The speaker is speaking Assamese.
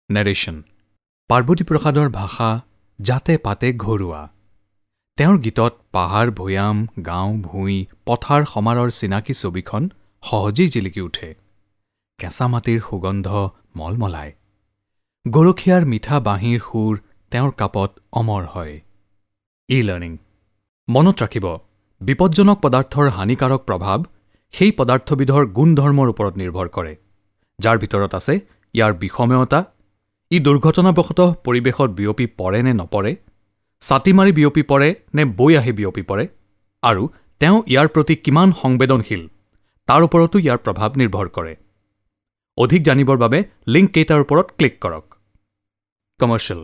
নেৰেশ্যন। পাৰ্বতী প্ৰসাদৰ ভাষা জাতে পাতে ঘৰুৱা। তেওঁৰ গীতত পাহাৰ ভৈয়াম, গাঁও ভূঁই, পথাৰ সমাৰৰ চিনাকি ছবিখন সহজেই জিলিকি উঠে। কেঁচা মাটিৰ সুগন্ধ মলমলায়। গৰখীয়াৰ মিঠা বাঁহীৰ সুৰ তেওঁৰ কাপত অমৰ হয়। ই লাৰ্ণিং মনত ৰাখিব, বিপজ্জনক পদাৰ্থৰ হানিকাৰক প্ৰভাৱ সেই পদাৰ্থবিধৰ গুণধৰ্মৰ ওপৰত নিৰ্ভৰ কৰে, যাৰ ভিতৰত আছে ইয়াৰ বিষময়তা, ই দুৰ্ঘটনাবশতঃ পৰিৱেশত বিয়পি পৰে নে নপৰে, ছাটি মাৰি বিয়পি পৰে নে বৈ আহি বিয়পি পৰে, আৰু তেওঁ ইয়াৰ প্ৰতি কিমান সংবেদনশীল তাৰ ওপৰতো ইয়াৰ প্ৰভাৱ নিৰ্ভৰ কৰে। অধিক জানিবৰ বাবে লিংককেইটাৰ ওপৰত ক্লিক কৰক। কমাৰ্চিয়েল।